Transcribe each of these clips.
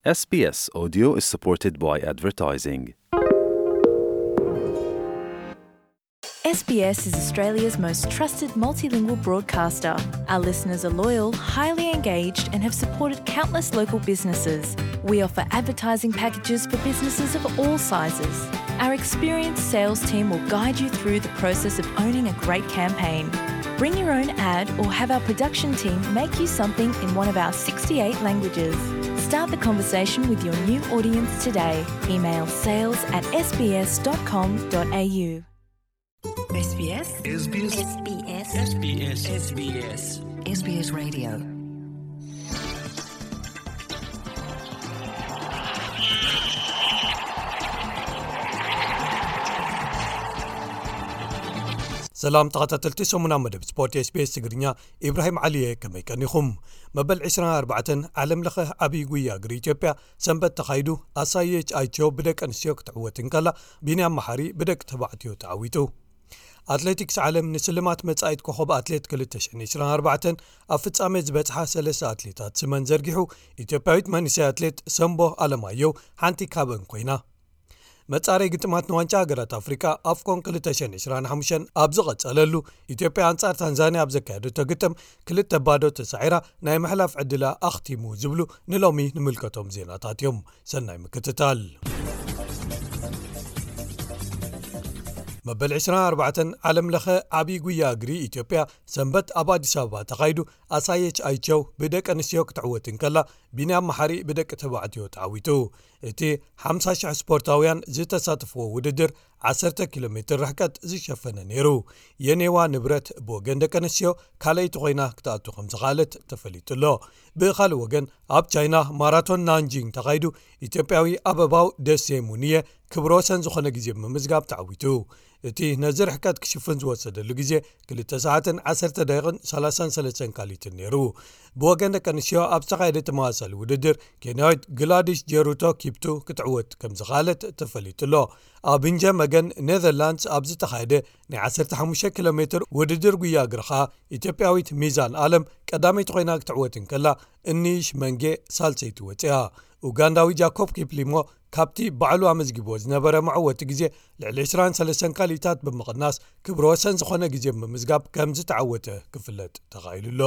S B S Audio is supported by advertising. S B S is Australia's most trusted multilingual broadcaster. Our listeners are loyal, highly engaged, and have supported countless local businesses. We offer advertising packages for businesses of all sizes. Our experienced sales team will guide you through the process of owning a great campaign. Bring your own ad or have our production team make you something in one of our sixty-eight languages. Start the conversation with your new audience today. Email sales at S B S dot com dot A U. S B S. S B S. S B S. S B S. S B S. S B S Radio. ሰላም ተኸታተልቲ ሰሙና መደብ ስፖርት ኤስቢኤስ ትግርኛ፣ ኢብራሂም ዓሊየ፣ ከመይ ቀኒኹም? መበል ዕስራን ኣርባዕተን ዓለም ለኸ ዓብዪ ጉያ እግሪ ኢትዮጵያ ሰንበት ተኻይዱ። ኣሳየች ኣይቸው ብደቂ ኣንስትዮ ክትዕወት እንከላ፣ ቢንያም መሓሪ ብደቂ ተባዕትዮ ተዓዊቱ። ኣትሌቲክስ ዓለም ንስልማት መጻኢት ኮኸብ ኣትሌት ክልተ ሽሕን ዕስራን ኣርባዕተን ኣብ ፍጻሜ ዝበጽሓ ሰለስተ ኣትሌታት ስመን ዘርጊሑ። ኢትዮጵያዊት መንእሰይ ኣትሌት ሰምቦ ኣለማየሁ ሓንቲ ካብአን ኮይና። መጻረይ ግጥማት ንዋንጫ ሃገራት ኣፍሪቃ ኣፍኮን ክልተ ሽሕን ዕስራን ሓሙሽተን ኣብ ዝቐጸለሉ፣ ኢትዮጵያ ኣንጻር ታንዛንያ ኣብ ዘካየደቶ ግጥም ክልተ ባዶ ተሳዒራ ናይ ምሕላፍ ዕድላ ኣኽቲሙ ዝብሉ ንሎሚ ንምልከቶም ዜናታት እዮም። ሰናይ ምክትታል። መበል ዕስራን ኣርባዕተን ዓለም ለኸ ዓብዪ ጉያ እግሪ ኢትዮጵያ ሰንበት ኣብ ኣዲስ ኣበባ ተኻይዱ። ኣሳየች ኣይቸው ብደቂ ኣንስትዮ ክትዕወት እንከላ፣ ቢንያም መሓሪ ብደቂ ተባዕትዮ ተዓዊቱ። እቲ ሓምሳ ሽሕ ስፖርታውያን ዝተሳተፍዎ ውድድር ዓሰርተ ኪሎ ሜትር ርሕቀት ዝሸፈነ ነይሩ። የኔዋ ንብረት ብወገን ደቂ ኣንስትዮ ካልኣይቲ ኮይና ክትኣቱ ከም ዝኸኣለት ተፈሊጡ ኣሎ። ብኻልእ ወገን፣ ኣብ ቻይና ማራቶን ናንጂንግ ተኻይዱ። ኢትዮጵያዊ ኣበባው ደሴ ሙንየ ክብረ ወሰን ዝኾነ ግዜ ብምምዝጋብ ተዓዊቱ። እቲ ነዚ ርሕቀት ክሽፍን ዝወሰደሉ ግዜ ክልተ ሰዓትን ዓሰርተ ደቂቕን ሰላሳን ሰለስተን ካሊትን ነይሩ። ብወገን ደቂ ኣንስትዮ ኣብ ዝተኻየደ ተመሳሳሊ ውድድር፣ ኬንያዊት ግላዲሽ ጀሩቶ ኪፕቱ ክትዕወት ከም ዝኸኣለት ተፈሊጡ ኣሎ። ኣብ እንጀ መገን ኔዘርላንድስ ኣብ ዝተኻየደ ናይ ዓሰርተ ሓሙሽተ ኪሎ ሜትር ውድድር ጉያ እግሪ ኸኣ፣ ኢትዮጵያዊት ሚዛን ኣለም ቀዳመይቲ ኮይና ክትዕወት እንከላ፣ እኒሽ መንጌ ሳልሰይቲ ወፂኣ። ኡጋንዳዊ ጃኮብ ኪፕሊሞ ካብቲ ባዕሉ ኣመዝጊብዎ ዝነበረ መዕወቲ ግዜ ልዕሊ ዕስራን ሰለስተን ካሊታት ብምቕናስ፣ ክብረ ወሰን ዝኾነ ግዜ ብምምዝጋብ ከም ዝተዓወተ ክፍለጥ ተኻኢሉ ኣሎ።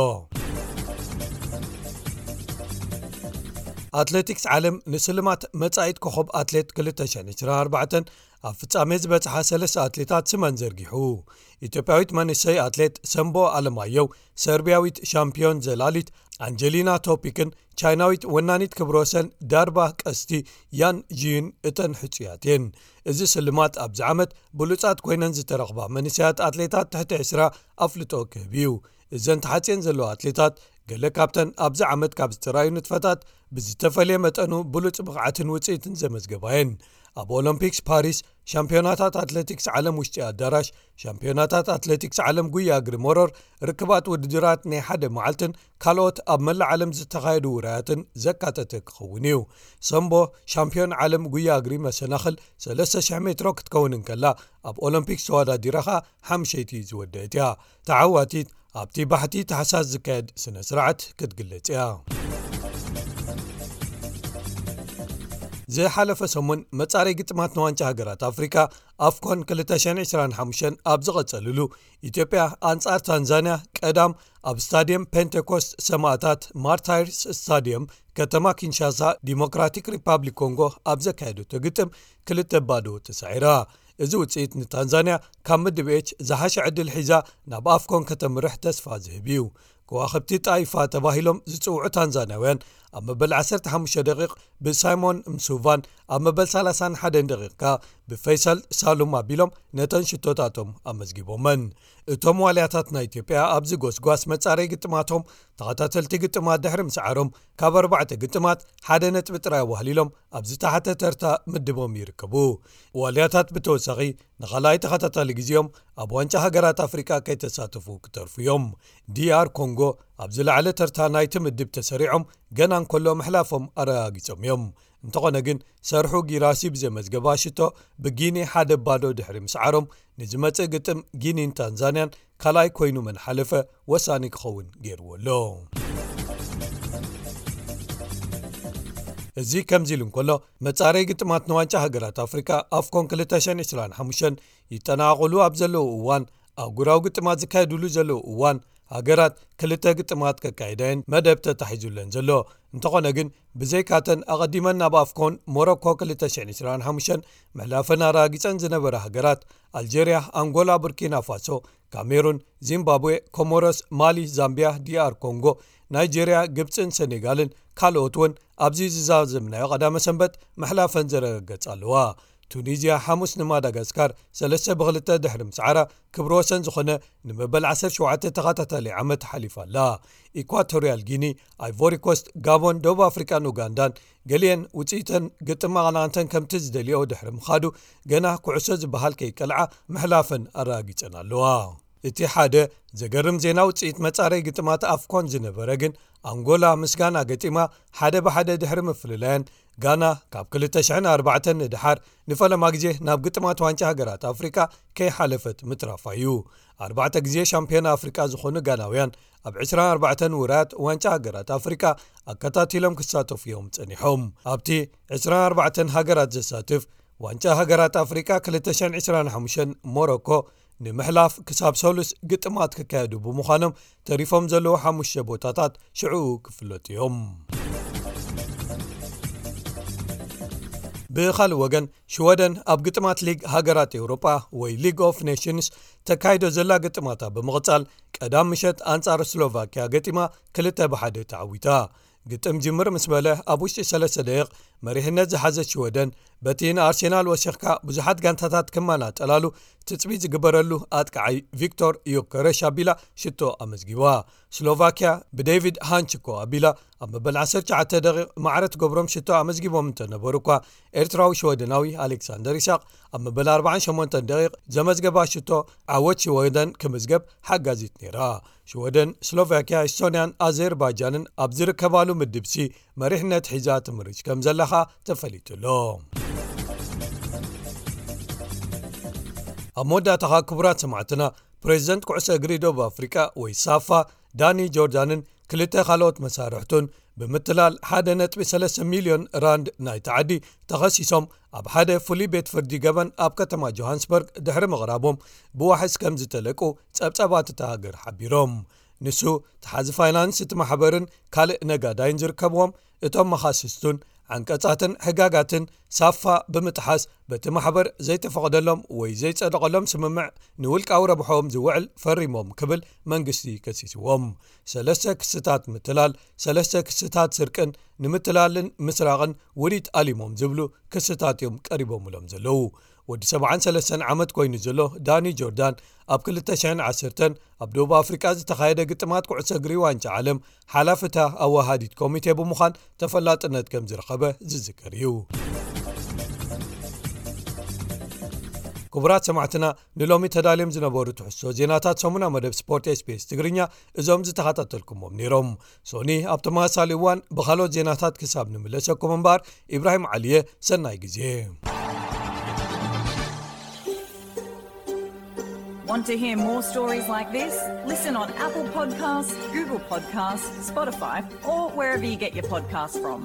ኣትሌቲክስ ዓለም ንስልማት መጻኢት ኮኸብ ኣትሌት ክልተ ሽሕን ዕስራን ኣርባዕተን ኣብ ፍጻሜ ዝበጽሓ ሰለስተ ኣትሌታት ስመን ዘርጊሑ። ኢትዮጵያዊት መንእሰይ ኣትሌት ሰምቦ ኣለማየሁ፣ ሰርቢያዊት ሻምፒዮን ዘላሊት ኣንጀሊና ቶፒክን ቻይናዊት ወናኒት ክብረ ወሰን ዳርባ ቀስቲ ያን ጂን እተን ሕጹያት እየን። እዚ ስልማት ኣብዚ ዓመት ብሉጻት ኮይነን ዝተረኽባ መንእሰያት ኣትሌታት ትሕቲ ዕስራ ኣፍልጦ ክህብ እዩ። እዘን ተሓጽየን ዘለዋ ኣትሌታት፣ ገለ ካብተን ኣብዚ ዓመት ካብ ዝተራእዩ ንጥፈታት ብዝተፈልየ መጠኑ ብሉጽ ብቕዓትን ውጽኢትን ዘመዝገባ እየን። ኣብ ኦሎምፒክስ ፓሪስ፣ ሻምፒዮናታት ኣትሌቲክስ ዓለም ውሽጢ ኣዳራሽ፣ ሻምፒዮናታት ኣትሌቲክስ ዓለም ጉያ እግሪ መሮር፣ ርክባት ውድድራት ናይ ሓደ መዓልትን ካልኦት ኣብ መላእ ዓለም ዝተኻየዱ ውራያትን ዘካተተ ክኸውን እዩ። ሰምቦ፣ ሻምፒዮን ዓለም ጉያ እግሪ መሰናኽል ሰለስተ ሽሕ ሜትሮ ክትከውን እንከላ፣ ኣብ ኦሎምፒክስ ተወዳዲራ ኸኣ ሓምሸይቲ ዝወደአት እያ። ተዓዋቲት ኣብቲ ባሕቲ ታሕሳስ ዝካየድ ስነ ስርዓት ክትግለጽ እያ። ዝሓለፈ ሰሙን መጻረይ ግጥማት ንዋንጫ ሃገራት ኣፍሪቃ ኣፍኮን ክልተ ሽሕን ዕስራን ሓሙሽተን ኣብ ዝቐጸልሉ፣ ኢትዮጵያ ኣንጻር ታንዛንያ ቀዳም ኣብ ስታድየም ፔንቴኮስት ሰማእታት፣ ማርታይርስ ስታድየም፣ ከተማ ኪንሻሳ፣ ዲሞክራቲክ ሪፓብሊክ ኮንጎ ኣብ ዘካየደቶ ግጥም ክልተ ባዶ ተሳዒራ። እዚ ውጽኢት ንታንዛንያ ካብ ምድብ ኤች ዝሓሸ ዕድል ሒዛ ናብ ኣፍኮን ከተምርሕ ተስፋ ዝህብ እዩ። ከዋኽብቲ ጣይፋ ተባሂሎም ዝጽውዑ ታንዛንያውያን ኣብ መበል ዓሰርተ ሓሙሽተ ደቂቕ ብሳይሞን ምሱቫን፣ ኣብ መበል ሰላሳን ሓደን ደቂቕ ከኣ ብፈይሰል ሳሉም ኣቢሎም ነተን ሽቶታቶም ኣመዝጊቦመን። እቶም ዋልያታት ናይ ኢትዮጵያ ኣብዚ ጎስጓስ መጻረይ ግጥማቶም ተኸታተልቲ ግጥማት ድሕሪ ምስዓሮም፣ ካብ ኣርባዕተ ግጥማት ሓደ ነጥቢ ጥራይ ኣዋህሊሎም ኣብ ዝተሓተ ተርታ ምድቦም ይርከቡ። ዋልያታት ብተወሳኺ ንኻልኣይ ተኸታታሊ ግዜኦም ኣብ ዋንጫ ሃገራት ኣፍሪቃ ከይተሳተፉ ክተርፉ እዮም። ዲኣር ኮንጎ ኣብ ዝለዓለ ተርታ ናይቲ ምድብ ተሰሪዖም ገና እንከሎ ምሕላፎም ኣረጋጊጾም እዮም። እንተኾነ ግን፣ ሰርሑ ጊራሲ ብዘመዝገባ ሽቶ ብጊኒ ሓደ ባዶ ድሕሪ ምስዓሮም፣ ንዝመጽእ ግጥም ጊኒን ታንዛንያን ካልኣይ ኮይኑ መን ሓለፈ ወሳኒ ክኸውን ገይርዎ ኣሎ። እዚ ከምዚ ኢሉ እንከሎ፣ መጻረይ ግጥማት ንዋንጫ ሃገራት ኣፍሪቃ ኣፍኮን ክልተ ሽሕን ዕስራን ሓሙሽተን ይጠናቐቑሉ ኣብ ዘለዉ እዋን፣ ኣህጉራዊ ግጥማት ዝካየዱሉ ዘለዉ እዋን፣ ሃገራት ክልተ ግጥማት ከካይዳ እየን መደብ ተታሒዙለን ዘሎ። እንተኾነ ግን፣ ብዘይካተን ኣቐዲመን ናብ ኣፍኮን ሞሮኮ ክልተ ሽሕን ዕስራን ሓሙሽተን ምሕላፈን ኣረጋጊጸን ዝነበራ ሃገራት፣ ኣልጀርያ፣ ኣንጎላ፣ ቡርኪና ፋሶ፣ ካሜሩን፣ ዚምባብዌ፣ ኮሞሮስ፣ ማሊ፣ ዛምቢያ፣ ዲኣር ኮንጎ፣ ናይጄርያ፣ ግብጽን ሰኔጋልን ካልኦት እውን ኣብዚ ዝዛዘምናዮ ቀዳመ ሰንበት ምሕላፈን ዘረጋገጻ ኣለዋ። ቱኒዝያ ሓሙስ ንማዳጋስካር ሰለስተ ብክልተ ድሕሪ ምስዓራ፣ ክብረ ወሰን ዝኾነ ንመበል ዓሰርተ ሸውዓተ ተኸታታሊ ዓመት ሓሊፋ ኣላ። ኢኳቶርያል ጊኒ፣ ኣይቮሪ ኮስት፣ ጋቦን፣ ደቡብ ኣፍሪቃን ኡጋንዳን፣ ገሊአን ውጽኢተን ግጥም ኣቐናቕንተን ከምቲ ዝደልዮ ድሕሪ ምኻዱ፣ ገና ኩዕሶ ዝበሃል ከይቀልዓ ምሕላፈን ኣረጋጊጸን ኣለዋ። እቲ ሓደ ዘገርም ዜና ውጽኢት መጻረይ ግጥማት ኣፍኮን ዝነበረ ግን፣ ኣንጎላ ምስ ጋና ገጢማ ሓደ ብሓደ ድሕሪ ምፍልላየን፣ ጋና ካብ ክልተ ሽሕን ኣርባዕተን ንደሓር ንፈለማ ግዜ ናብ ግጥማት ዋንጫ ሃገራት ኣፍሪቃ ከይሓለፈት ምትራፋ እዩ። ኣርባዕተ ግዜ ሻምፒዮን ኣፍሪቃ ዝኾኑ ጋናውያን፣ ኣብ ዕስራን ኣርባዕተን ውራያት ዋንጫ ሃገራት ኣፍሪቃ ኣከታቲሎም ክሳተፉ እዮም ጸኒሖም። ኣብቲ ዕስራን ኣርባዕተን ሃገራት ዘሳትፍ ዋንጫ ሃገራት ኣፍሪቃ ክልተ ሽሕን ዕስራን ሓሙሽተን፣ ሞሮኮ ንምሕላፍ ክሳብ ሰሉስ ግጥማት ክካየዱ ብምዃኖም፣ ተሪፎም ዘለዉ ሓሙሽተ ቦታታት ሽዕኡ ክፍለጡ እዮም። ብኻልእ ወገን፣ ሽወደን ኣብ ግጥማት ሊግ ሃገራት ኤውሮጳ ወይ ሊግ ኦፍ ኔሽንስ ተካይዶ ዘላ ግጥማታ ብምቕጻል፣ ቀዳም ምሸት ኣንጻር ስሎቫኪያ ገጢማ ክልተ ብሓደ ተዓዊታ። ግጥም ጅምር ምስ በለ፣ ኣብ ውሽጢ ሰለስተ ደቂቕ መሪሕነት ዝሓዘት ሽወደን፣ በቲ ንኣርሴናል ወሲኽካ ብዙሓት ጋንታታት ክመናጠላሉ ትጽቢት ዝግበረሉ ኣጥቃዓይ ቪክቶር ዮከረሽ ኣቢላ ሽቶ ኣመዝጊባ። ስሎቫኪያ ብዴቪድ ሃንችኮ ኣቢላ ኣብ መበል ዓሰርተ ትሽዓተ ደቂቕ ማዕረ ትገብሮም ሽቶ ኣመዝጊቦም እንተነበሩ እኳ፣ ኤርትራዊ ሽወደናዊ ኣሌክሳንደር ይስሐቅ ኣብ መበል ኣርባዓን ሸሞንተን ደቂቕ ዘመዝገባ ሽቶ ዓወት ሽወደን ክምዝገብ ሓጋዚት ነይራ። ሽወደን፣ ስሎቫኪያ፣ ኤስቶንያን ኣዘርባይጃንን ኣብ ዝርከባሉ ምድብ ሲ መሪሕነት ሒዛ ትምርጭ ከም ዘላ ኸኣ ተፈሊጡ ኣሎ። ኣብ መወዳእታ ኸኣ፣ ክቡራት ሰማዕትና፣ ፕሬዚደንት ኩዕሶ እግሪ ደቡብ ኣፍሪቃ ወይ ሳፋ፣ ዳኒ ጆርዳንን ክልተ ካልኦት መሳርሕቱን ብምትላል ሓደ ነጥቢ ሰለስተ ሚልዮን ራንድ ናይቲ ዓዲ ተኸሲሶም ኣብ ሓደ ፍሉይ ቤት ፍርዲ ገበን ኣብ ከተማ ጆሃንስበርግ ድሕሪ ምቕራቦም፣ ብዋሕስ ከም ዝተለቁ ጸብጻባት እታ ሃገር ሓቢሮም። ንሱ፣ ተሓዚ ፋይናንስ እቲ ማሕበርን ካልእ ነጋዳይን ዝርከብዎም፣ እቶም መኻስስቱን ዓንቀጻትን ሕጋጋትን ሳፋ ብምጥሓስ፣ በቲ ማሕበር ዘይተፈቕደሎም ወይ ዘይጸደቐሎም ስምምዕ ንውልቃዊ ረብሖም ዝውዕል ፈሪሞም ክብል መንግስቲ ከሲስዎም። ሰለስተ ክስታት ምትላል፣ ሰለስተ ክስታት ስርቅን ንምትላልን ምስራቕን ውዲት ኣሊሞም ዝብሉ ክስታት እዮም ቀሪቦምሎም ዘለዉ። ወዲ ሰብዓን ሰለስተን ዓመት ኮይኑ ዘሎ ዳኒ ጆርዳን፣ ኣብ ክልተ ሽሕን ዓሰርተን ኣብ ደቡብ ኣፍሪቃ ዝተኻየደ ግጥማት ኩዕሶ እግሪ ዋንጫ ዓለም ሓላፊ እታ ኣወሃዲት ኮሚቴ ብምዃን ተፈላጥነት ከም ዝረኸበ ዝዝከር እዩ። ክቡራት ሰማዕትና፣ ንሎሚ ተዳልዮም ዝነበሩ ትሕዝቶ ዜናታት ሰሙና መደብ ስፖርት ኤስቢኤስ ትግርኛ እዞም ዝተኸታተልኩሞም ነይሮም። ሶኒ ኣብ ተመሳሳሊ እዋን ብኻልኦት ዜናታት ክሳብ ንምለሰኩም እምበኣር፣ ኢብራሂም ዓሊየ፣ ሰናይ ግዜ። Want to hear more stories like this? Listen on Apple Podcasts, Google Podcasts, Spotify, or wherever you get your podcasts from.